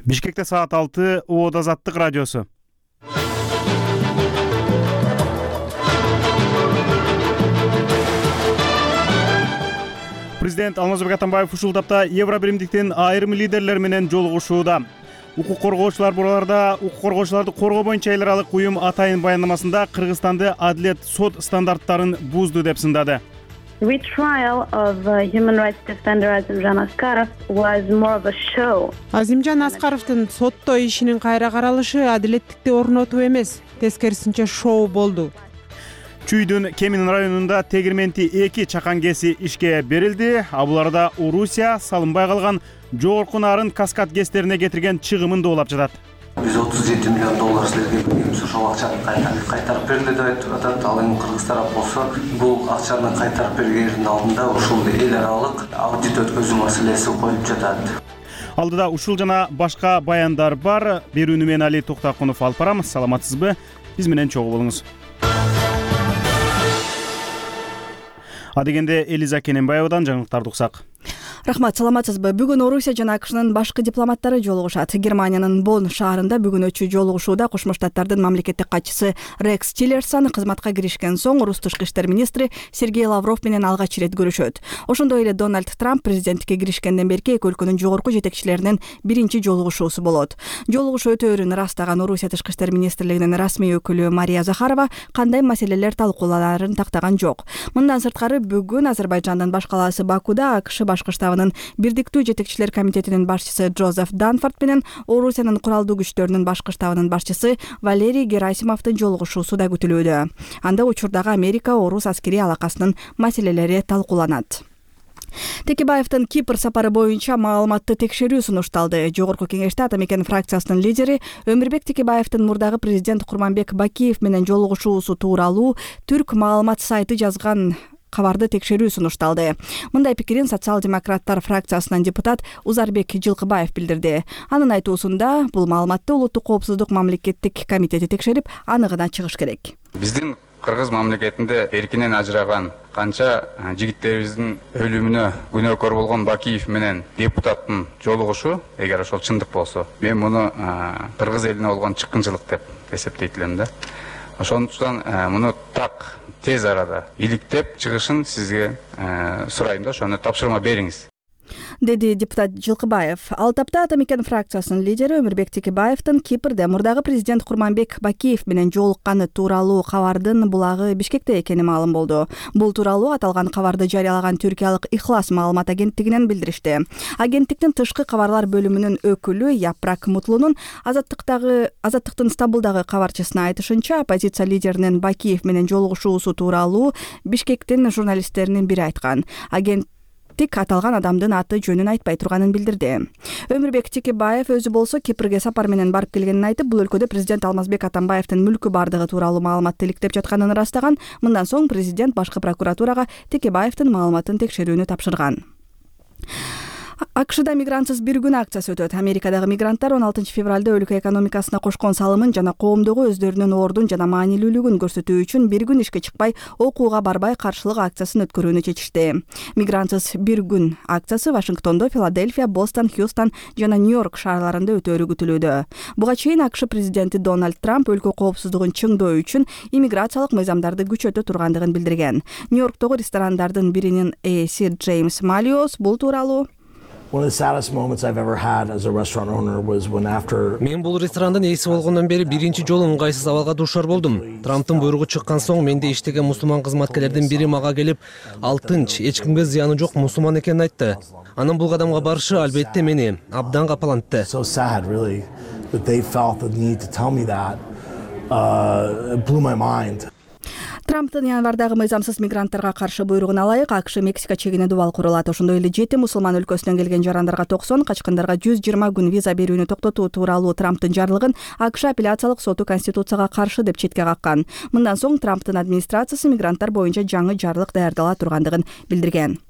Бишкекте саат 6 Уода Азаттык радиосу. Президент Алмазбек Атамбаев ушул тапта Евробиримдиктин айрым лидерлери менен жолугушууда. Укук коргоочулар бурларда укук коргоочуларды коргоо боюнча эл аралык уюм атайын баяндамасында Кыргызстанды адилет сот стандарттарын бузду деп сындады. The trial of human rights defender Азимжан Аскаров was more of a show. Азимжан Аскаровдун сотто ишинин кайра каралышы адилеттикти орнотуу эмес, тескерисинче шоу болду. Чүйдүн Кемин районунда тегирменти 2 чакан кеси ишке берилди. Буларда Орусия салынбай калган жогорку нарын каскад кестерине кетирген чыгымын доолап жатат. 137 миллион доллар силерге ошол акчаны кайтарып берилди деп атат. Ал эми Кыргыз тарап болсо бул акчаны кайтарып бергендин алдында ушул эл аралык аудит өткөзүү маселеси коюлуп жатат. Алдыда ушул жана башка баяндар бар. Берүүнү мен Али Токтакунов алып барам. Саламатсызбы? Биз менен чогуу болуңуз. Адегенде Элиза Кененбаевадан жаңылыктарды уксак. Рахмат, саламатсызбы? Бүгүн Орусия жана АКШнын башкы дипломаттары жолугушат. Германиянын Бонн шаарында бүгүн өтчү жолугушууда Кошмо Штаттардын мамлекеттик катчысы Рекс Тиллерсон кызматка киришкен соң Орус тышкы иштер министри Сергей Лавров менен алгач ирет көрүшөт. Ошондой эле Дональд Трамп президенттикке киришкенден берки эки өлкөнүн жогорку жетекчилеринин биринчи жолугушуусу болот. Жолугушуу өтөөрүн ырастаган Орусия тышкы иштер министрлигинин расмий өкүлү Мария Захарова кандай маселелер талкууланарын тактаган жок. Мындан сырткары бүгүн Азербайжандын баш калаасы Бакуда АКШ башкы штабынын Бирдиктүү жетекчилер комитетинин башчысы Джозеф Данфорд менен Орусиянын куралдуу күчтөрүнүн башкы штабынын башчысы Валерий Герасимовдун жолугушуусу да күтүлүүдө. Анда учурдагы Америка-Орус аскерий алакасынын маселелери талкууланат. Текебаевдин Кипр сапары боюнча маалыматты текшерүү сунушталды. Жогорку кеңеште Ата мекен фракциясынын лидери Өмүрбек Текебаевдин мурдагы президент Курманбек Бакиев менен жолугушуусу тууралуу Түрк маалымат сайты жазган кабарды текшерүү сунушталды. Мындай пикирин социал-демократтар фракциясынан депутат Узарбек Жылкыбаев билдирди. Анын айтуусунда бул маалыматты Улуттук коопсуздук мамлекеттик комитети текшерип, аныгына чыгыш керек. Биздин Кыргыз мамлекетинде эркинен ажыраган канча жигиттерибиздин өлүмүнө күнөөкөр болгон Бакиев менен депутаттын жолугушу, эгер ошол чындык болсо, мен муну Кыргыз элине болгон чыккынчылык деп эсептейт элем да. Ошондуктан муну так тез арада иликтеп чыгышын сизге сурайм да, ошону тапшырма бериңиз, деди депутат Жылкыбаев. Ал тапта Ата мекен фракциясынын лидери Өмүрбек Текебаевдин Кипрде мурдагы президент Курманбек Бакиев менен жолукканы тууралуу кабардын булагы Бишкекте экени маалым болду. Бул тууралуу аталган кабарды жарыялаган түркиялык Ихлас маалымат агенттигинен билдиришти. Агенттиктин тышкы кабарлар бөлүмүнүн өкүлү Япрак Мутлунун Азаттыктын Стамбулдагы кабарчысына айтышынча, оппозиция лидеринин Бакиев менен жолугушуусу тууралуу Бишкектин журналисттеринин бири айткан. Аталган адамдын аты жөнүн айтпай турганын билдирди. Өмүрбек Текебаев өзү болсо Кипрге сапар менен барып келгенин айтып, бул өлкөдө президент Алмазбек Атамбаевдин мүлкү бардыгы тууралуу маалыматты иликтеп жатканын ырастаган. Мындан соң президент башкы прокуратурага Текебаевдин маалыматын текшерүүнү тапшырган. АКШда мигрантсыз бир күн акциясы өтөт. Америкадагы мигранттар 16 февралда өлкө экономикасына кошкон салымын жана коомдогу өздөрүнүн ордун жана маанилүүлүгүн көрсөтүү үчүн бир күн ишке чыкпай, окууга барбай каршылык акциясын өткөрүүнү чечишти. Мигрантсыз бир күн акциясы Вашингтондо, Филадельфия, Бостон, Хьюстон жана Нью-Йорк шаарларында өтөөрү күтүлүүдө. Буга чейин АКШ президенти Дональд Трамп өлкө коопсуздугун чыңдоо үчүн иммиграциялык мыйзамдарды күчөтө тургандыгын билдирген. Нью-Йорктогу ресторандардын биринин ээси Джеймс Малиос бул тууралуу One of the saddest moments I've ever had as a restaurant owner was when after Мен бул ресторандын ээси болгондон бери биринчи жолу ыңгайсыз абалга дуушар болдум. Трамптын буйругу чыккан соң менде иштеген мусулман кызматкерлердин бири мага келип, ал тынч, эч кимге зыяны жок мусулман экенин айтты. Анын бул кадамга барышы албетте мени абдан капалантты. So sad really that they felt the need to tell me that. It blew my mind. Трамптын январдагы мыйзамсыз мигранттарга каршы буйругуна ылайык АКШ Мексика чегине дубал курулат. Ошондой эле 7 мусулман өлкөсүнөн келген жарандарга 90, качкындарга 120 күн виза берүүнү токтотуу тууралуу Трамптын жарлыгын АКШ апелляциялык соту Конституцияга каршы деп четке каккан. Мындан соң Трамптын администрациясы мигранттар боюнча жаңы жарлык даярдала тургандыгын билдирген.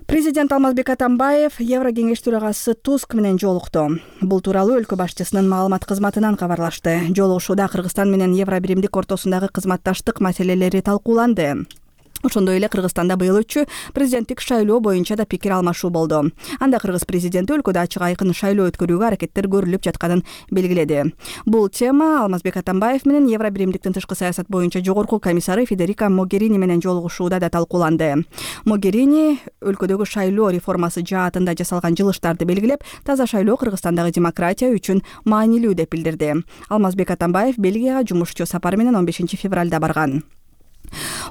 Президент Алмазбек Атамбаев Еврокеңеш төрагасы Туск менен жолукту. Бул тууралуу өлкө башчысынын маалымат кызматынан кабарлашты. Жолугушууда Кыргызстан менен Евробиримдик ортосундагы кызматташтык маселелери талкууланды. Ошондой эле Кыргызстанда быйыл өтчү президенттик шайлоо боюнча да пикир алмашуу болду. Анда кыргыз президенти өлкөдө ачык айкын шайлоо өткөрүүгө аракеттер көрүлүп жатканын белгиледи. Бул тема Алмазбек Атамбаев менен Евробиримдиктин тышкы саясат боюнча жогорку комиссары Федерика Могерини менен жолугушууда да талкууланды. Могерини өлкөдөгү шайлоо реформасы жаатында жасалган жылыштарды белгилеп, таза шайлоо Кыргызстандагы демократия үчүн маанилүү деп билдирди. Алмазбек Атамбаев Бельгияга жумушчу сапары менен 15 февралда барган.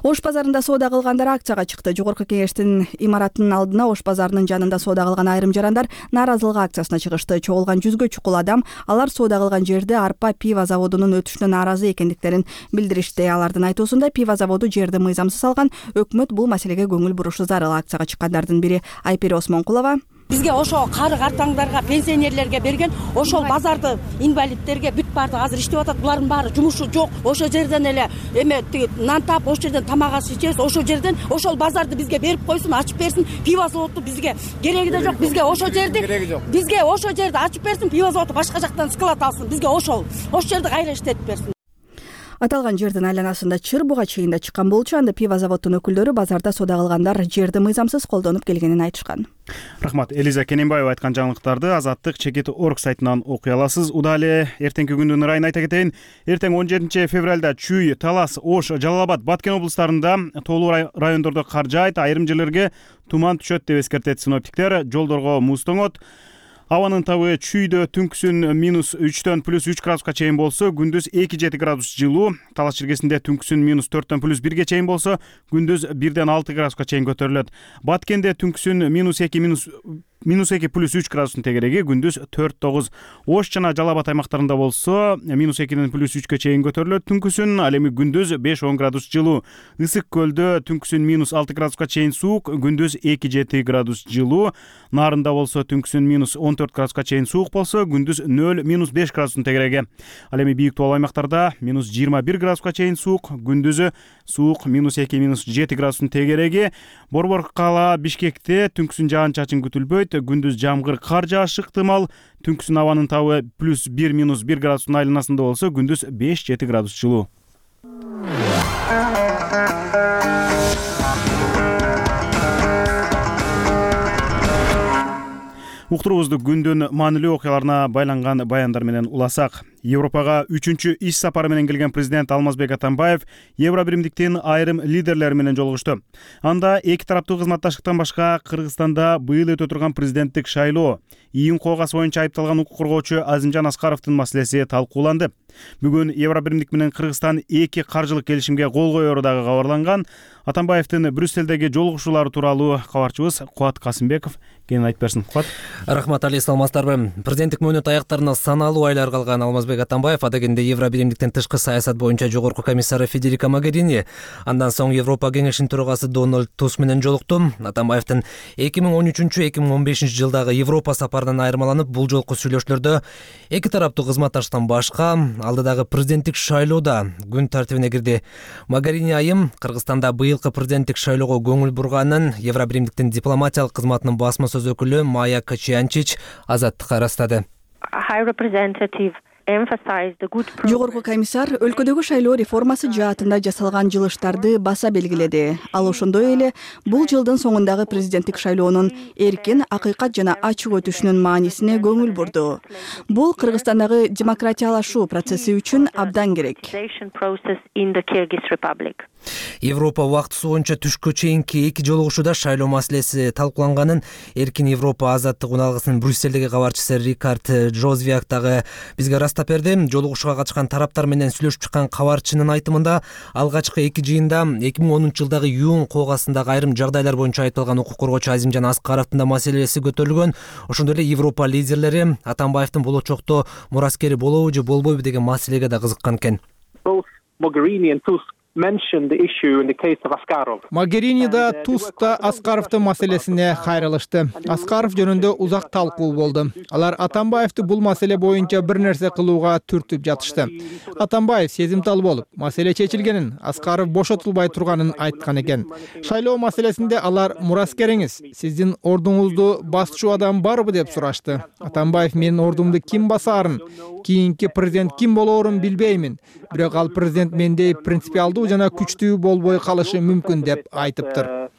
Ош базарында соода кылгандар акцияга чыкты. Жогорку кеңештин имаратынын алдына Ош базарынын жанында соода кылган айрым жарандар нааразылык акциясына чыгышты. Чогулган 100гө чукул адам алар соода кылган жерде арпа пива заводунун өтүшүнө нааразы экендиктерин билдиришти. Алардын айтуусунда пива заводу жерди мыйзамсыз алган. Өкмөт бул маселеге көңүл бурушу зарыл. Акцияга чыккандардын бири Айпери Осмонкулова. Бизге ошо кары картаңдарга, пенсионерлерге берген, ошол базарды инвалидтерге бүт барды азыр иштеп атат. Булардын баары жумушу жок. Ошо жерден эле нан таап, ошо жерден тамак аш ичебиз. Ошол жерден ошол базарды бизге берип койсун, ачып берсин. Пива заводу бизге кереги да жок. Бизге ошо жерди ачып берсин, пива заводу башка жактан склад алсын. Бизге ошол жерди кайра иштетип берсин. Аталган жердин айланасында чыр буга чейин да чыккан болчу. Анда пива заводунун өкүлдөрү базарда соода кылгандар жерди мыйзамсыз колдонуп келгенин айтышкан. Рахмат. Элиза Кененбаева айткан жаңылыктарды Азаттык Чекит.org сайтынан окуй аласыз. Удале эртеңки күндүн ырайын айта кетейин. Эртең 17 февралда Чүй, Талас, Ош, Жалал-Абад, Баткен облустарында тоолуу райондордо кар жаайт, айрым жерлерге туман түшөт деп эскертет синоптиктер. Жолдорго муз тоңот. Абанын табы Чүйдө түнкүсүн -3 +3 градуска чейин болсо, күндүз 2-7 градус жылуу. Талас жергесинде түнкүсүн -4 +1 чейин болсо, күндүз 1-6 градуска чейин көтөрүлөт. Баткенде түнкүсүн -2 +3 градустун тегереги, күндүз 4-9. Ош жана Жалал-Абад аймактарында болсо, -2 +3 чейин көтөрүлөт. Түнкүсүн ал эми күндүз 5-10 градус жылуу. Ысык көлдө түнкүсүн -6 градуска чейин суук, күндүз 2-7 градус жылуу. Нарында болсо түнкүсүн -14 градуска чейин суук болсо, күндүз 0-5 градустун тегереги. Ал эми бийик тоолуу аймактарда -21 градуска чейин суук, күндүзү суук -2-7 градустун тегереги. Борбор кала Бишкекте түнкүсүн жаан-чачын күтүлбөйт, күндүз жамгыр, кар жаашы ыктымал. Түнкүсүн абанын табы +1-1 градустун айланасында болсо, күндүз 5-7 градус жылуу. Уктуруубузду күндүн маанилүү окуяларына байланган баяндар менен уласак. Европага 3-чү иш сапары менен келген президент Алмазбек Атамбаев Евробиримдиктин айрым лидерлери менен жолугушту. Анда эки тараптуу кызматташтыктан башка Кыргызстанда быйыл өтө турган президенттик шайлоо, ийин коогасы боюнча айыпталган укук коргоочу Азимжан Аскаровдун маселеси талкууланды. Бүгүн Евробиримдик менен Кыргызстан эки каржылык келишимге кол коеру дагы кабарланган. Атамбаевдин Брюссельдеги жолугушуулары тууралуу кабарчыбыз Кубат Касымбеков кенен айтып берсин. Кубат. Рахмат Али, саламатсыздарбы? Президенттик мөөнөт аяктарына саналуу айлар калган Алмазбек Атамбаев адегенде Евробиримдиктин тышкы саясат боюнча жогорку комиссары Федерика Могерини, андан соң Европа кеңешинин төрагасы Дональд Туск менен жолукту. Атамбаевдин 2013-2015 жылдагы Европа сапарынан айырмаланып, бул жолку сүйлөшүүлөрдө эки тараптуу кызматташтыктан башка алдыдагы президенттик шайлоодо күн тартибине кирди. Могерини айым Кыргызстанда быйылкы президенттик шайлоого көңүл бурганын Евробиримдиктин дипломатиялык кызматынын басма сөз өкүлү Майя Качиянчич Азаттыкка ырастады. Жогорку комиссар өлкөдөгү шайлоо реформасы жаатында жасалган жылыштарды баса белгиледи. Ал ошондой эле бул жылдын соңундагы президенттик шайлоонун эркин, акыйкат жана ачык өтүшүнүн маанисине көңүл бурду. Бул Кыргызстандагы демократиялашуу процесси үчүн абдан керек. Европа убактысы боюнча түшкө чейинки эки жолугушууда шайлоо маселеси талкууланганын Эркин Европа азаттык уналгысынын Брюссельдеги кабарчысы Рикард Жозвиак дагы бизге ырастап берди. Жолугушууга катышкан тараптар менен сүйлөшүп чыккан кабарчынын айтымында алгачкы эки жыйында 2010 жылдагы июнь коогасындагы айрым жагдайлар боюнча айыпталган укук коргоочу Азимжан Аскаровдун да маселеси көтөрүлгөн. Ошондой эле Европа лидерлери Атамбаевдин болочокто мураскери болобу же болбойбу деген маселеге да кызыккан экен. Могерини да Туск да Аскаровдун маселесине кайрылышты. Аскаров жөнүндө узак талкуу болду. Алар Атамбаевди бул маселе боюнча бир нерсе кылууга түртүп жатышты. Атамбаев сезимтал болуп, маселе чечилгенин, Аскаров бошотулбай турганын айткан экен. Шайлоо маселесинде алар мураскериңиз, сиздин ордуңузду басчу адам барбы деп сурашты. Атамбаев менин ордумду ким басаарын, кийинки президент ким болоорун билбеймин. Бирок ал президент мендей принципиалдуу жана күчтүү болбой калышы мүмкүн деп айтыптыр.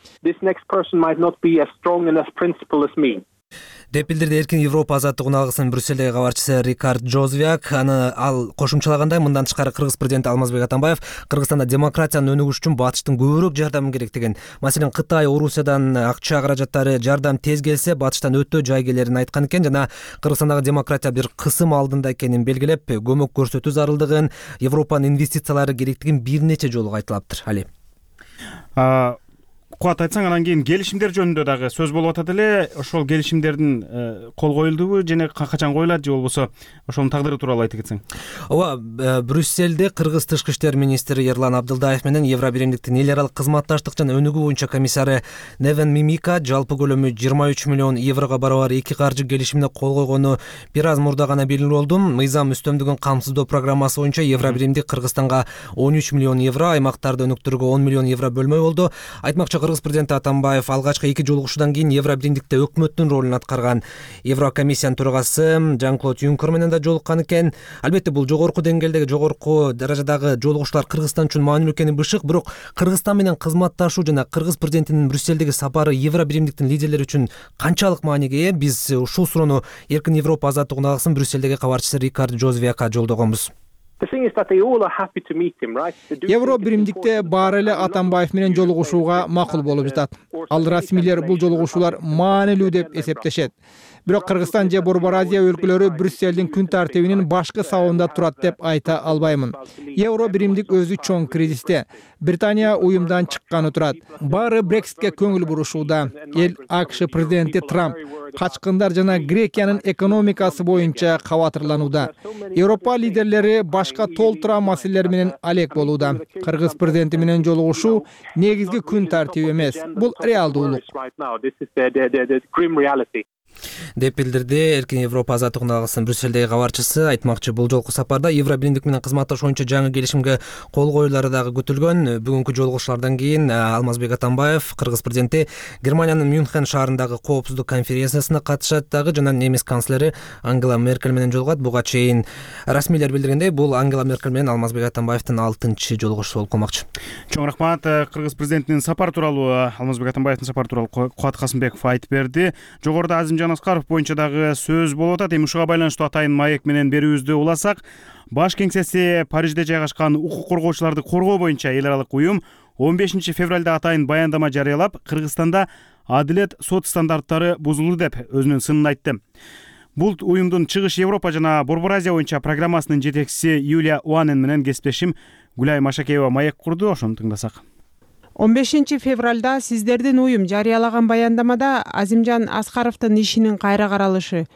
деп билдирди Эркин Европа азаттык алгысынын Брюссельдеги кабарчысы Рикард Жозвяк. Ал кошумчалагандай, мындан тышкары Кыргыз президенти Алмазбек Атамбаев Кыргызстанда демократиянын өнүгүшү үчүн батыштын көбүрөөк жардамы керек деген. Маселен, Кытай, Орусиядан акча каражаттары, жардам тез келсе батыштан өтө жай келерин айткан экен жана Кыргызстандагы демократия бир кысым алдында экенин белгилеп, көмөк көрсөтүү зарылдыгын, Европанын инвестициялары керектигин бир нече жолу кайталаптыр. Али кубат айтсаң, анан кийин келишимдер жөнүндө дагы сөз болуп атат эле. Ошол келишимдердин кол коюлдубу жана качан коюлат, же болбосо ошонун тагдыры тууралуу айтып кетсең? Ооба, Брюссельде Кыргыз тышкы иштер министри Ерлан Абдылдаев менен Евробиримдиктин эл аралык кызматташтык жана өнүгүү боюнча комиссары Невен Мимика жалпы көлөмү 23 миллион еврого барабар эки каржы келишимине кол койгону бир аз мурда гана белгилүү болду. Мыйзам үстөмдүгүн камсыздоо программасы боюнча Евробиримдик Кыргызстанга 13 миллион евро, аймактарды өнүктүрүүгө 10 миллион евро бөлмөй болду. Айтмакчы, Кыргыз президенти Атамбаев алгачкы эки жолугушуудан кийин Евробиримдикте өкмөттүн ролун аткарган Еврокомиссиянын төрагасы Жан-Клод Юнкер менен да жолуккан экен. Албетте, бул жогорку деңгээлдеги, жогорку даражадагы жолугушуулар Кыргызстан үчүн маанилүү экени бышык, бирок Кыргызстан менен кызматташуу жана Кыргыз президентинин Брюссельдеги сапары Евробиримдиктин лидерлери үчүн канчалык мааниге ээ? Биз ушул суроону Эркин Европа азаттык алгысынын Брюссельдеги кабарчысы Рикард Жозвякка жолдогонбуз. Евробиримдикте баары эле Атамбаев менен жолугушууга макул болуп жатат. Ал расмийлер бул жолугушуулар маанилүү деп эсептешет. Бирок Кыргызстан же Борбор Азия өлкөлөрү Брюссельдин күн тартибинин башкы сабында турат деп айта албаймын. Евробиримдик өзү чоң кризисте. Британия уюмдан чыкканы турат. Баары Брекситке көңүл бурушууда. Эл АКШ президенти Трамп качкындар жана Грекиянын экономикасы боюнча кабатырланууда. Европа лидерлери башка толтура маселелер менен алек болууда. Кыргыз президенти менен жолугушуу негизги күн тартиби эмес. Бул реалдуулук. деп билдирди Эркин Европа азаттык алгысынын Брюссельдеги кабарчысы. Айтмакчы, бул жолку сапарда Евробиримдик менен кызматташуу боюнча жаңы келишимге кол коюлары дагы күтүлгөн. Бүгүнкү жолугушуулардан кийин Алмазбек Атамбаев, Кыргыз президенти, Германиянын Мюнхен шаарындагы коопсуздук конференциясына катышат дагы жана немис канцлери Ангела Меркель менен жолугат. Буга чейин расмийлер билдиргендей, бул Ангела Меркель менен Алмазбек Атамбаевдин 6-чы жолугушуу болуп калмакчы. Чоң рахмат. Кыргыз президентинин сапары тууралуу, Алмазбек Атамбаевдин сапары тууралуу Кубат Касымбеков айтып берди. Жогоруда Азимжан Аскаров боюнча дагы сөз болуп атат. Эми ушуга байланыштуу атайын маек менен берүүбүздү уласак, баш кеңсеси Парижде жайгашкан укук коргоочуларды коргоо боюнча эл аралык уюм 15 февралда атайын баяндама жарыялап, Кыргызстанда адилет сот стандарттары бузулду деп өзүнүн сынын айтты. Бул уюмдун Чыгыш Европа жана Борбор Азия боюнча программасынын жетекчиси Юлия Уанен менен кесиптешим Гүлай Машакеева маек курду. Ошону тыңдасак. 15 февралда сиздердин уюм жарыялаган баяндамада Азимжан Аскаровдун ишинин кайра каралышы,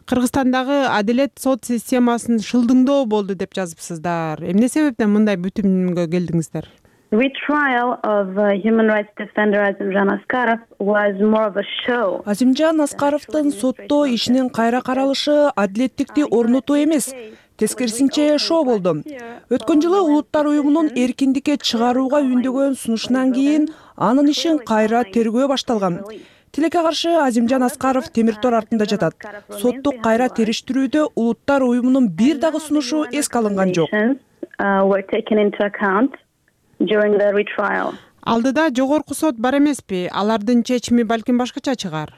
Кыргызстандагы адилет сот системасын шылдыңдоо болду деп жазыпсыздар. Эмне себептен мындай бүтүмгө келдиңиздер? Retrial of human rights defender Azimjan Askarov was more of a show. Азимжан Аскаровдун сотто ишинин кайра каралышы адилеттикти орнотуу эмес, тескерисинче шоо болду. Өткөн жылы Улуттар уюмунун эркиндикке чыгарууга үндөгөн сунушунан кийин анын ишин кайра тергөө башталган. Тилекке каршы Азимжан Аскаров темир тор артында жатат. Соттук кайра териштирүүдө Улуттар уюмунун бир дагы сунушу эске алынган жок. Алдыда жогорку сот бар эмеспи? Алардын чечими балким башкача чыгар.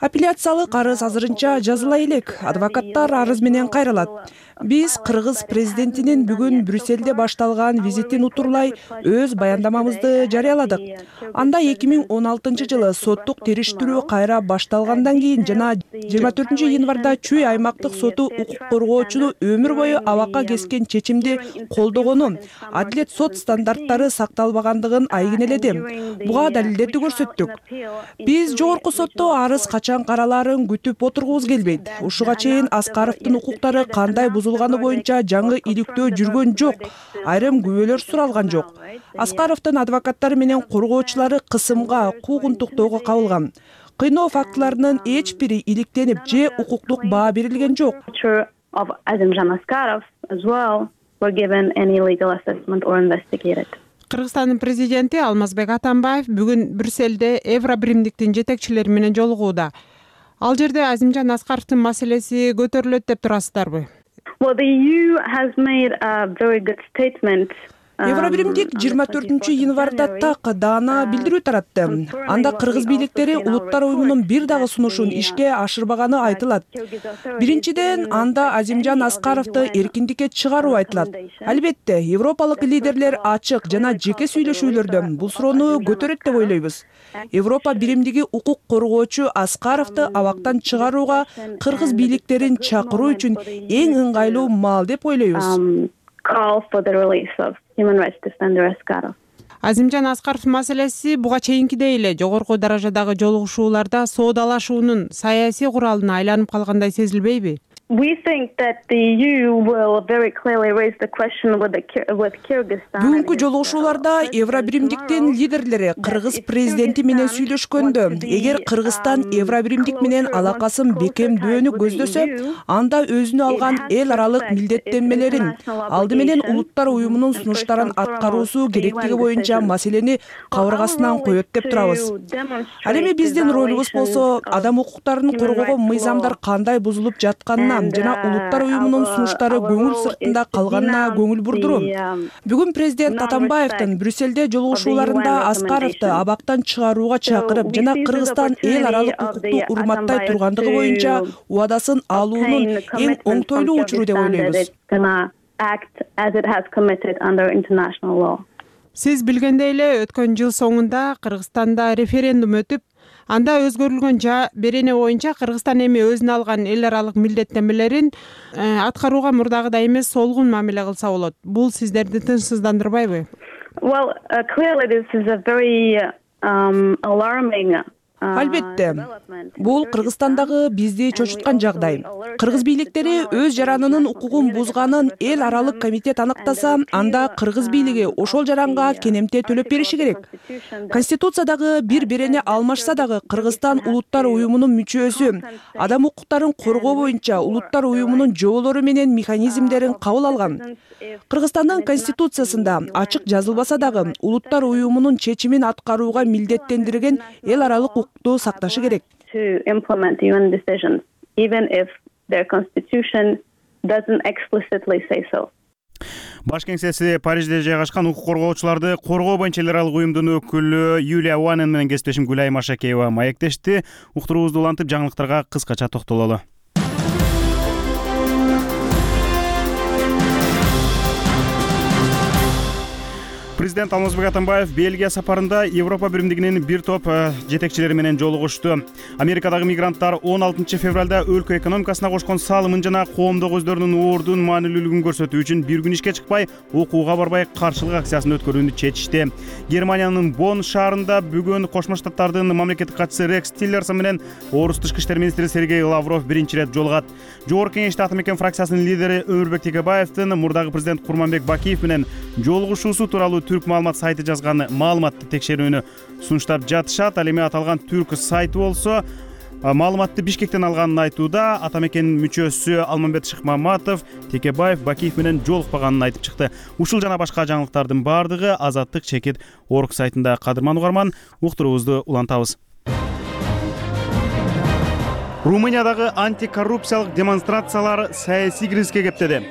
Апелляциялык арыз азырынча жазыла элек. Адвокаттар арыз менен кайрылат. Биз Кыргыз президентинин бүгүн Брюссельде башталган визитин утурлай өз баяндамамызды жарыяладык. Анда 2016 жылы соттук териштирүү кайра башталгандан кийин жана 24 январда Чүй аймактык соту укук коргоочуну өмүр бою абакка кескен чечимди колдогону, адилет сот стандарттары сакталбагандыгын айгинеледим. Буга далилдерди көрсөттүк. Биз жогорку сотто арыз качан каралаарын күтүп отургубуз келбейт. Ушуга чейин Аскаровдун укуктары кандай бузулганы боюнча жаңы иликтөө жүргөн жок. Айрым күбөлөр суралган жок. Аскаровдун адвокаттары менен коргоочулары кысымга, куугунтуктоого кабылган. Кыйноо фактыларынын эч бири иликтенип же укуктук баа берилген жок. Кыргызстандын президенти Алмазбек Атамбаев бүгүн Брюссельде Евробиримдиктин жетекчилери менен жолугууда. Ал жерде Азимжан Аскаровдун маселеси көтөрүлөт деп турасыздарбы? Well, the EU has made a very good statement. Евро биримдик 24-январда так даана билдирүү таратты. Анда кыргыз бийликтери улуттар уюмунун бир дагы сунушун ишке ашырбаганы айтылат. Биринчиден, анда Азимжан Аскаровду эркиндикке чыгаруу айтылат. Албетте, европалык лидерлер ачык жана жеке сүйлөшүүлөрдө бул суроону көтөрөт деп ойлойбуз. Европа биримдиги укук коргоочу Аскаровду абактан чыгарууга кыргыз бийликтерин чакыруу үчүн эң ыңгайлуу маал деп ойлойбуз. Call for the release of human rights defender Askarov. Азимжан Аскаров маселеси буга чейинкидей эле жогорку даражадагы жолугушууларда соодалашуунун саясий куралына айланып калгандай сезилбейби? We think that the EU will very clearly raise the question with Kyrgyzstan. Бүгүнкү жолугушууларда Евро биримдиктин лидерлери кыргыз президенти менен сүйлөшкөндө, эгер Кыргызстан Евро биримдик менен алакасын бекемдөөнү көздөсө, анда өзүнө алган эл аралык милдеттенмелерин, алды менен улуттар уюмунун сунуштарын аткаруусу керектиги боюнча маселени кабыргасынан коет деп турабыз. Ал эми биздин ролубуз болсо адам укуктарын коргоого мыйзамдар кандай бузулуп жатканына жана улуттар уюмунун сунуштары көңүл сыртында калганына көңүл бурдуруу. Бүгүн президент Атамбаевдин Брюссельде жолугушууларында Аскаровду абактан чыгарууга чакырып жана Кыргызстан эл аралык укукту урматтай тургандыгы боюнча убадасын алуунун эң оңтойлуу учуру деп ойлойбуз. Сиз билгендей эле өткөн жыл соңунда Кыргызстанда референдум өтүп, анда өзгөрүлгөн берене боюнча Кыргызстан эми өзүнө алган эл аралык милдеттенмелерин аткарууга мурдагыдай эмес солгун мамиле кылса болот. Бул сиздерди тынчсыздандырбайбы? Well, clearly this is a very alarming. Албетте, бул Кыргызстандагы бизди чочуткан жагдай. Кыргыз бийликтери өз жаранынын укугун бузганын эл аралык комитет аныктаса, анда кыргыз бийлиги ошол жаранга кенемте төлөп бериши керек. Конституциядагы бир берене алмашса дагы Кыргызстан улуттар уюмунун мүчөсү, адам укуктарын коргоо боюнча улуттар уюмунун жоболору менен механизмдерин кабыл алган. Кыргызстандын конституциясында ачык жазылбаса дагы улуттар уюмунун чечимин аткарууга милдеттендирген эл аралык укукту сакташы керек. To implement UN decisions, even if their constitution doesn't explicitly say so. Баш кеңсеси Парижде жайгашкан укук коргоочуларды коргоо боюнча эл аралык уюмдун өкүлү Юлия Уанен менен кесиптешим Гүлай Машакеева маектешти. Уктуруубузду улантып жаңылыктарга кыскача токтололу. Президент Алмазбек Атамбаев Бельгия сапарында Европа биримдигинин бир топ жетекчилери менен жолугушту. Америкадагы мигранттар 16 февралда өлкө экономикасына кошкон салымын жана коомдук өздөрүнүн ордун маанилүүлүгүн көрсөтүү үчүн бир күн ишке чыкпай, окууга барбай каршылык акциясын өткөрүүнү чечишти. Германиянын Бонн шаарында бүгүн Кошмо Штаттардын мамлекеттик катчысы Рекс Тиллерсон менен Орус тышкы иштер министри Сергей Лавров биринчи ирет жолугат. Жогорку кеңеште Атамекен фракциясынын лидери Өмүрбек Текебаевдин мурдагы президент Курманбек Бакиев менен жолугушуусу тууралуу Түрк маалымат сайты жазган маалыматты текшерүүнү сунуштап жатышат. Ал эми аталган Түрк сайты болсо маалыматты Бишкектен алганын айтууда. Атамекен мүчөсү Алмамбет Шыкмаматов Текебаев Бакиев менен жолукпаганын айтып чыкты. Ушул жана башка жаңылыктардын баардыгы Азаттык чекит Орг сайтында. Кадырман угарман, уктуруубузду улантабыз. Румыниядагы антикоррупциялык демонстрациялар саясий кризиске кептеди.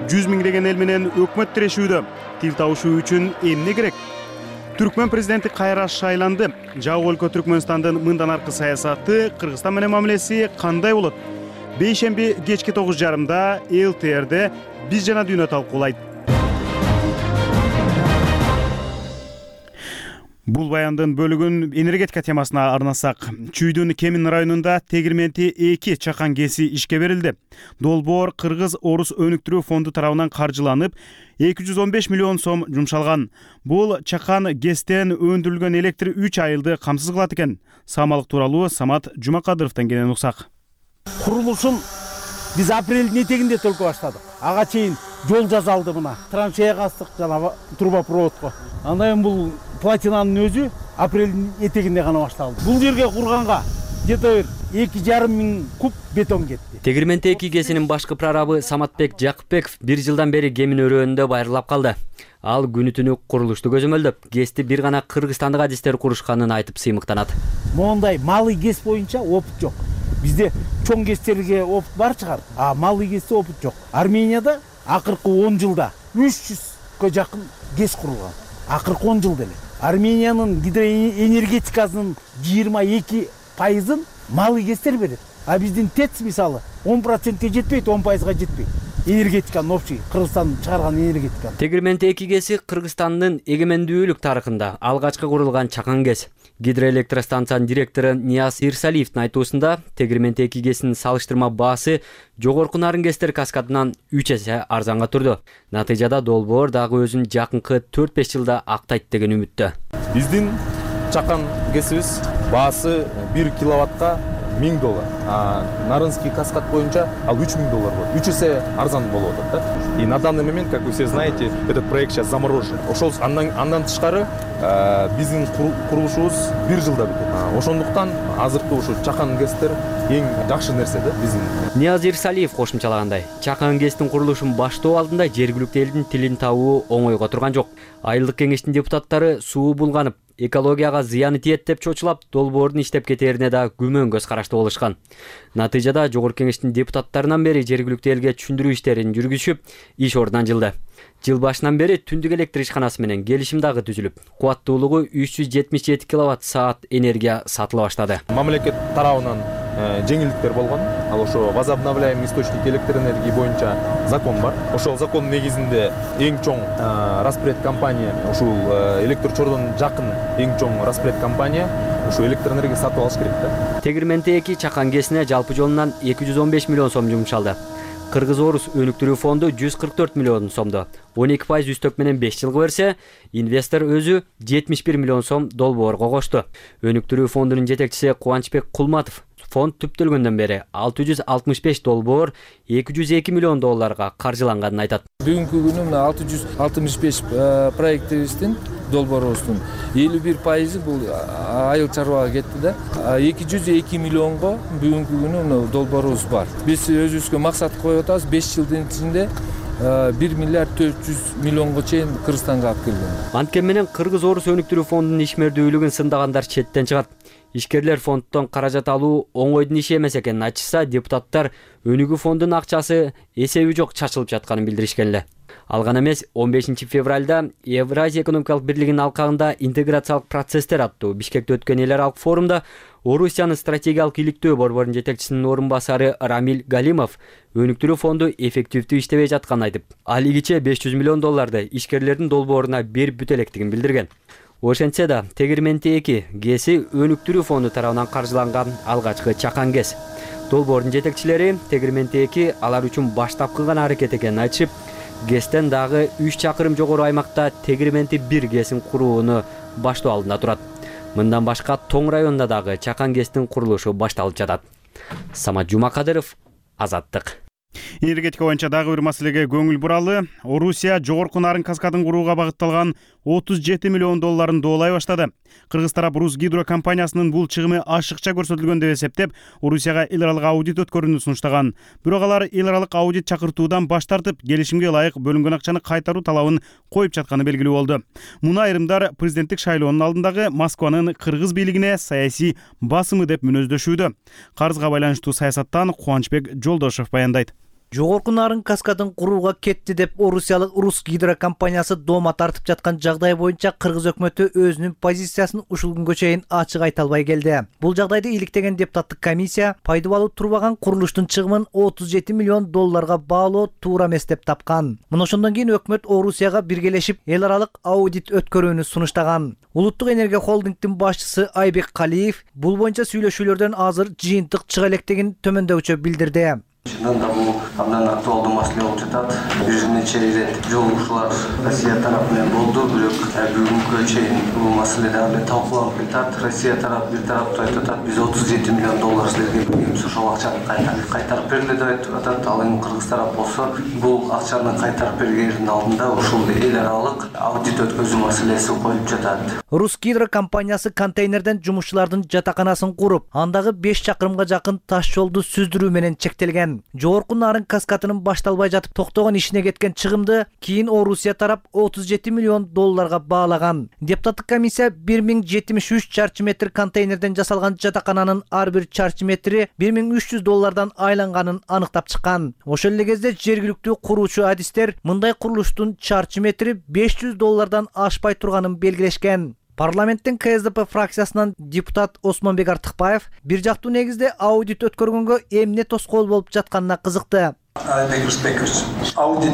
100 миңдеген эл менен өкмөт тирешүүдө. Тил табышуу үчүн эмне керек? Түркмөн президенти кайра шайланды. Жабык өлкө Түркмөнстандын мындан аркы саясаты, Кыргызстан менен мамилеси кандай болот? Бейшемби кечки 9:30 ЛТРде биз жана дүйнө талкуулайт. Бул баяндын бөлүгүн энергетика темасына арнасак. Чүйдүн Кемин районунда тегирменти 2 чакан кеси ишке берилди. Долбоор Кыргыз-Орус өнүктүрүү фонду тарабынан каржыланып, 215 миллион сом жумшалган. Бул чакан кестен өндүрүлгөн электр 3 айылды камсыз кылат экен. Самалык тууралуу Самат Жумакадыровдон кенен уксак. Курулушун биз апрелдин этегинде төлкө баштадык. Ага чейин жол жасалды мына. Траншея кастык жана трубопроводко. Андан бул платинанын өзү апрелдин этегинде гана башталды. Бул жерге курганга где-то 2,5 миң куб бетон кетти. Тегирменти 2 кесинин башкы прорабы Саматбек Жакыпбеков 1 жылдан бери кемин өрөөнүндө байырлап калды. Ал күнү-түнү курулушту көзөмөлдөп, кести бир гана кыргызстандык адистер курушканын айтып сыймыктанат. Мондай малый кес боюнча опыт жок. Бизде чоң КЭСтерге опыт бар чыгар, а малый КЭСте опыт жок. Арменияда акыркы 10 жылда 300га жакын КЭС курулган. Акыркы 10 жылда эле. Армениянын гидроэнергетикасынын 22% малый КЭСтер берет. А биздин ТЭЦ мисалы 10%ге жетпейт, 10%га жетпейт. Энергетиканын общий Кыргызстан чыгарган энергетика. Тегирменти 2 КЭСи Кыргызстандын эгемендүүлүк тарыхында алгачкы курулган чакан КЭС. Гидроэлектростанциянын директору Нияз Ирсалиевдин айтуусунда Тегирменти 2 КЭСинин салыштырма баасы жогорку нарын КЭСтер каскадынан 3 эсе арзанга турду. Натыйжада долбоор дагы өзүн жакынкы 4-5 жылда актайт деген үмүттө. Биздин чакан КЭСибиз баасы 1 киловаттка $1000, а Нарынский каскад боюнча ал $3000 болот. 3 эсе арзан болуп атат да. И на данный момент, как вы все знаете, этот проект сейчас заморожен. Ошол андан тышкары биздин курулушубуз 1 жылда бүтөт. Ошондуктан азыркы ушу чакан КЭСтер эң жакшы нерсе да биздин. Нияз Ирсалиев кошумчалагандай, чакан КЭСтин курулушун баштоо алдында жергиликтүү элдин тилин табуу оңойго турган жок. Айылдык кеңештин депутаттары суу булганып, экологияга зыяны тиет деп чочулап, долбоордун иштеп кетерине да күмөн көз карашты болушкан. Натыйжада жогорку кеңештин депутаттарынан бери жергиликтүү элге түшүндүрүү иштерин жүргүзүп, иш ордунан жылды. Жыл башынан бери түндүк электр ишканасы менен келишим дагы түзүлүп, кубаттуулугу 377 киловатт-саат энергия сатыла баштады. Мамлекет тарабынан жеңилдиктер болгон. Ал ошо возобновляемый источник электроэнергии боюнча закон бар. Ошол закондун негизинде эң чоң распред компания, ушул электр чордон жакын эң чоң распред компания ушу электроэнергия сатып алыш керек да. Тегирменти 2 чакан КЭСине жалпы жолунан 215 миллион сом жумшалды. Кыргыз-Орус өнүктүрүү фонду 144 миллион сомду 12% үстөк менен 5 жылга берсе, инвестор өзү 71 миллион сом долбоорго кошту. Өнүктүрүү фондунун жетекчиси Кубанычбек Кулматов фонд түптөлгөндөн бери $665 долбоор $202 миллион каржыланганын айтат. Бүгүнкү күнү 665 проектибиздин долбоорубуздун 51% бул айыл чарбага кетти да. 202 миллионго бүгүнкү күнү долбоорубуз бар. Биз өзүбүзгө максат коюп атабыз 5 жылдын ичинде 1 миллиард 400 миллионго чейин Кыргызстанга алып келген. Анткени менен Кыргыз-Орус өнүктүрүү фондунун ишмердүүлүгүн сындагандар четтен чыгат. Ишкерлер фонддон каражат алуу оңойдун иши эмес экенин айтышса, депутаттар өнүгүү фондунун акчасы эсеби жок чачылып жатканын билдиришкен эле. Ал гана эмес, 15 февралда Евразия экономикалык бирлигинин алкагында интеграциялык процесстер аттуу Бишкекте өткөн эл аралык форумда Орусиянын стратегиялык иликтөө борборунун жетекчисинин орун басары Рамиль Галимов өнүктүрүү фонду эффективдүү иштебей жатканын айтып, ал игиче $500 миллион ишкерлердин долбооруна берип бүтө элекtigин билдирген. Ошентсе да, Тегирменти 2 КЭСи өнүктүрүү фонду тарабынан каржыланган алгачкы чакан КЭС. Долбоордун жетекчилери Тегирменти 2 алар үчүн баштапкы гана аракет экенин айтышып, КЭСтен дагы 3 чакырым жогору аймакта Тегирменти 1 КЭСин курууну баштоо алдында турат. Мындан башка Тоң районунда дагы чакан КЭСтин курулушу башталып жатат. Самат Жумакадыров, Азаттык. Энергетика боюнча дагы бир маселеге көңүл буралы. Орусия жогорку нарын каскадын курууга багытталган $37 миллион доолай баштады. Кыргыз тарап Рус гидро компаниясынын бул чыгымы ашыкча көрсөтүлгөн деп эсептеп, Орусияга эл аралык аудит өткөрүүнү сунуштаган. Бирок алар эл аралык аудит чакыртуудан баш тартып, келишимге ылайык бөлүнгөн акчаны кайтаруу талабын коюп жатканы белгилүү болду. Муну айрымдар президенттик шайлоонун алдындагы Москванын кыргыз бийлигине саясий басымы деп мүнөздөшүүдө. Карызга байланыштуу саясаттан Кубанычбек Жолдошов баяндайт. Жогорку нарын каскадын курууга кетти деп Орусиялык Рус гидро компаниясы доома тартып жаткан жагдай боюнча Кыргыз өкмөтү өзүнүн позициясын ушул күнгө чейин ачык айта албай келди. Бул жагдайды иликтеген депутаттык комиссия пайдалуу турбаган курулуштун чыгымын $37 миллион баалоо туура эмес деп тапкан. Мына ошондон кийин өкмөт Орусияга биргелешип эл аралык аудит өткөрүүнү сунуштаган. Улуттук энергия холдингдин башчысы Айбек Калиев бул боюнча сүйлөшүүлөрдөн азыр жыйынтык чыга электигин төмөндөгүчө билдирди. Чынында да бул абдан актуалдуу маселе болуп жатат. Бир нече ирет жолугушуулар Россия тарапы менен болду, бирок бүгүнкү чейин бул маселе дагы талкууланып жатат. Россия тарапы бир тараптуу айтып атат, биз $37 миллион силерге беребиз, ошол акчаны кайтарып бергиле деп айтып атат. Ал эми Кыргыз тарап болсо, бул акчаны кайтарып бергендин алдында ушул эл аралык аудит өткөзүү маселеси коюлуп жатат. Рус гидро компаниясы контейнерден жумушчулардын жатаканасын куруп, андагы 5 чакырымга жакын таш жолду сүздүрүү менен чектелген. билдирген. Жогорку нарын каскадынын башталбай жатып токтогон ишине кеткен чыгымды кийин Орусия тарап $37 миллион баалаган. Депутаттык комиссия 1073 чарчы метр контейнерден жасалган жатакананын ар бир чарчы метри $1300 айланганын аныктап чыккан. Ошол эле кезде жергиликтүү куруучу адистер мындай курулуштун чарчы метри $500 ашпай турганын белгилешкен. Парламенттин КСДП фракциясынан депутат Осмонбек Артыкбаев бир жактуу негизде аудит өткөргөнгө эмне тоскоол болуп жатканына кызыкты. Audit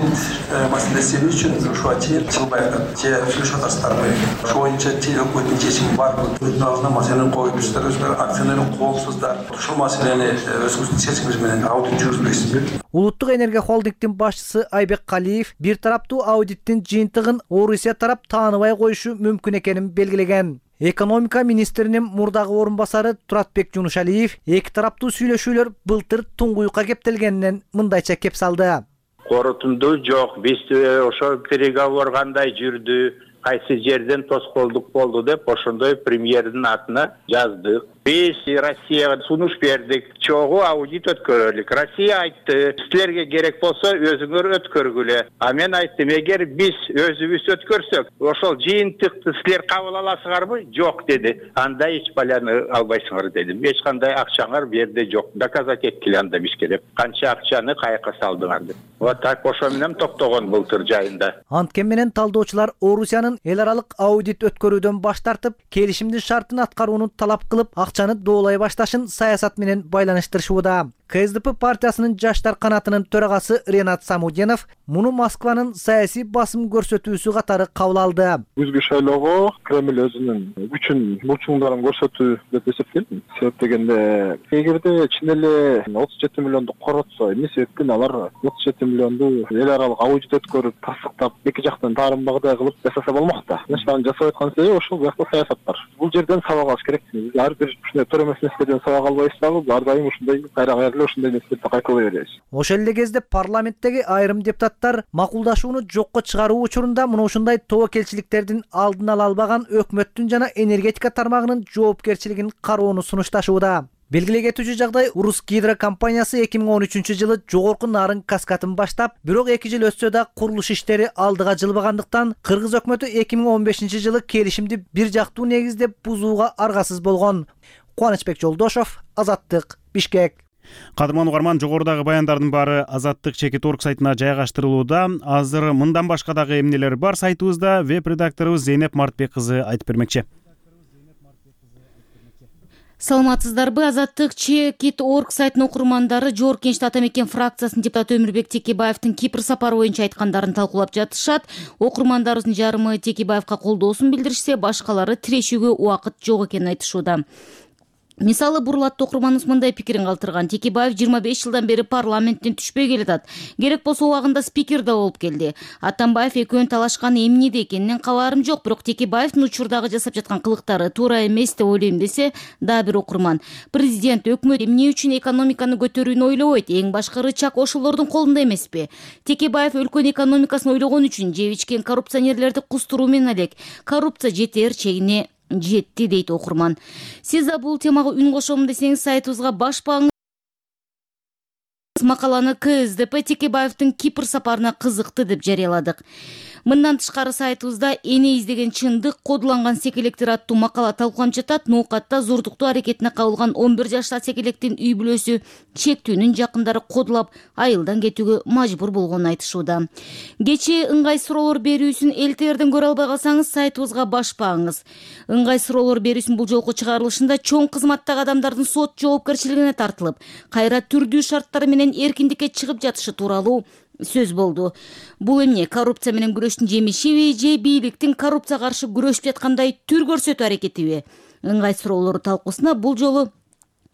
masalesi için şu açı Çılbay'da fülüşataslar mı? Şu oyunca telekomun çeşimi var mı? Bütün ağzına meselenin koyduğuzlar, özgür aksiyonların kolsuzlar. Şu meseleni özgür seçimizden audit жүргүзбөйсүзбү? Улуттук энергия холдингдин башчысы Айбек Калиев бир тараптуу аудиттин жыйынтыгын Орусия тарап тааныбай коюшу мүмкүн экенин белгилеген. Экономика министринин мурдагы орун басары Туратбек Жунушалиев эки тараптуу сүйлөшүүлөр былтыр туңгуюкка кептелгенинен мындайча кеп салды. Корутунду жок, биз ошо переговор кандай жүрдү, кайсы жерден тоскоолдук болду деп ошондой премьердин атына жаздык. Биз Россияга сунуш бердик, чогуу аудит өткөрөлүк. Россия айтты, силерге керек болсо өзүңөр өткөргүлө. А мен айттым, эгер биз өзүбүз өткөрсөк, ошол жыйынтыкты силер кабыл аласыңарбы? Жок деди. Анда эч баланы албайсыңар дедим. Эч кандай акчаңар берде жок. Доказать эткиле анда бизге деп. Канча акчаны каяка салдыңар деп. Вот так ошо менен токтогон былтыр жайында. Анткени менен талдоочулар Орусиянын эл аралык аудит өткөрүүдөн баш тартып, келишимдин шартын аткарууну талап кылып, акчаны доолай башташын саясат менен байланыштырышууда. КСДП партиясынын жаштар канатынын төрагасы Ренат Самуденов муну Москванын саясий басым көрсөтүүсү катары кабыл алды. Күзгү шайлоого Кремль өзүнүн күчүн булчуңдарын көрсөтүү деп эсептейм. Себеп дегенде, эгерде чын эле 37 миллионду коротсо, эмне себептен алар 37 миллионду эл аралык аудит өткөрүп, тастыктап, эки жактан таарынбагыдай кылып жасаса болмок да. Аны жасап аткан себеби ошол бuyakta саясат бар. Бул жерден сабак алыш керек. Ар бир ушундай төрөмөс нерселерден сабак албайбыз дагы, ар дайым ушундай кайра ошондой нерселерди кайталай беребиз. Ошол эле кезде парламенттеги айрым депутаттар макулдашууну жокко чыгаруу учурунда муну ушундай тобокелчиликтердин алдын ала албаган өкмөттүн жана энергетика тармагынын жоопкерчилигин кароону сунушташууда. Белгилей кетүүчү жагдай, Урус Гидро компаниясы 2013-жылы жогорку нарын каскатын баштап, бирок 2 жыл өтсө да курулуш иштери алдыга жылбагандыктан Кыргыз өкмөтү 2015-жылы келишимди бир жактуу негизде бузууга аргасыз болгон. Кубанычбек Жолдошов, Азаттык, Бишкек. Кадырман угарман, жогорудагы баяндардын баары Азаттык Чекит.org сайтына жайгаштырылууда. Азыр мындан башка дагы эмнелер бар сайтыбызда, веб-редакторубуз Зейнеп Мартбек кызы айтып бермекчи. Саламатсыздарбы? Азаттык Чекит.org сайтынын окурмандары Жогорку Кеңеште ата мекен фракциясынын депутаты Өмүрбек Текебаевдин Кипр сапары боюнча айткандарын талкуулап жатышат. Окурмандарыбыздын жарымы Текебаевга колдоосун билдиришсе, башкалары тирешүүгө убакыт жок экенин айтышууда. Мисалы, Бурлатты окурманыбыз мындай пикирин калтырган. Текебаев 25 жылдан бери парламенттен түшпөй келатат. Керек болсо убагында спикер да болуп келди. Атамбаев экөөнүн талашканы эмнеде экенинен кабарым жок, бирок Текебаевдин учурдагы жасап жаткан кылыктары туура эмес деп ойлойм десе, дагы бир окурман. Президент, өкмөт эмне үчүн экономиканы көтөрүүнү ойлобойт? Эң башкы рычаг ошолордун колунда эмеспи? Текебаев өлкөнүн экономикасын ойлогон үчүн жеп ичкен коррупционерлерди кустуруу менен элек. Коррупция жетер чегине жетти, дейт окурман. Сиз да бул темага үн кошом десеңиз, сайтыбызга баш багыңыз. Макаланы КСДП Текебаевдин Кипр сапарына кызыкты деп жарыяладык. Мындан тышкары сайтыбызда эне издеген чындык кодуланган секелектер аттуу макала талкууланып жатат. Ноокатта зордуктуу аракетине кабылган 11 жаштагы секелектин үй бүлөсү чектүүнүн жакындары кодулап айылдан кетүүгө мажбур болгонун айтышууда. Кечээ ыңгай суроолор берүүсүн ЛТРден көрө албай калсаңыз, сайтыбызга баш багыңыз. Ыңгай суроолор берүүсүн бул жолку чыгарылышында чоң кызматтагы адамдардын сот жоопкерчилигине тартылып, кайра түрдүү шарттары менен эркиндикке чыгып жатышы тууралуу сөз болду. Бул эмне, коррупция менен күрөштүн жемишиби же бийликтин коррупция каршы күрөшүп жаткандай түр көрсөтүү аракетиби? Ыңгай суроолор талкуусуна бул жолу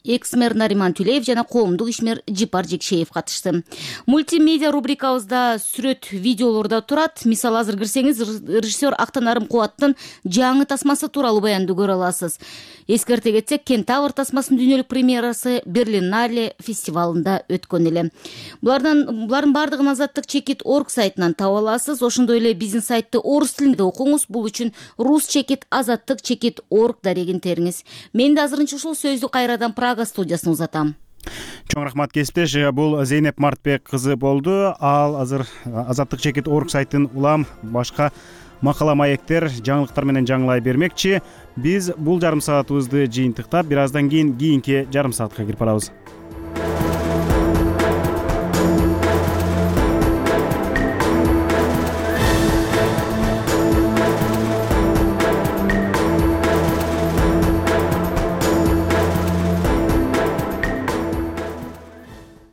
экс-мэр Нариман Түлеев жана коомдук ишмер Жипар Жекшеев катышты. Мультимедиа рубрикабызда сүрөт видеолордо турат. Мисалы, азыр кирсеңиз, режиссер Актанарым Кубаттын жаңы тасмасы тууралуу баянды көрө аласыз. Эскерте кетсек, Кентавр тасмасынын дүйнөлүк премьерасы Берлинале фестивалында өткөн эле. Булардын бардыгын Азаттык Чекит.org сайтынан таба аласыз. Ошондой эле биздин сайтты орус тилинде окуңуз. Бул үчүн Рус Чекит Азаттык Чекит.org дарегин териңиз. Мен да азырынча ушул сөздү кайрадан Прага студиясына узатам. Чоң рахмат кесиптеш. Бул Зейнеп Мартбек кызы болду. Ал азыр Азаттык чекит орг сайтын улам башка макала маектер, жаңылыктар менен жаңылай бермекчи. Биз бул жарым саатыбызды жыйынтыктап, бир аздан кийин кийинки жарым саатка кирип барабыз.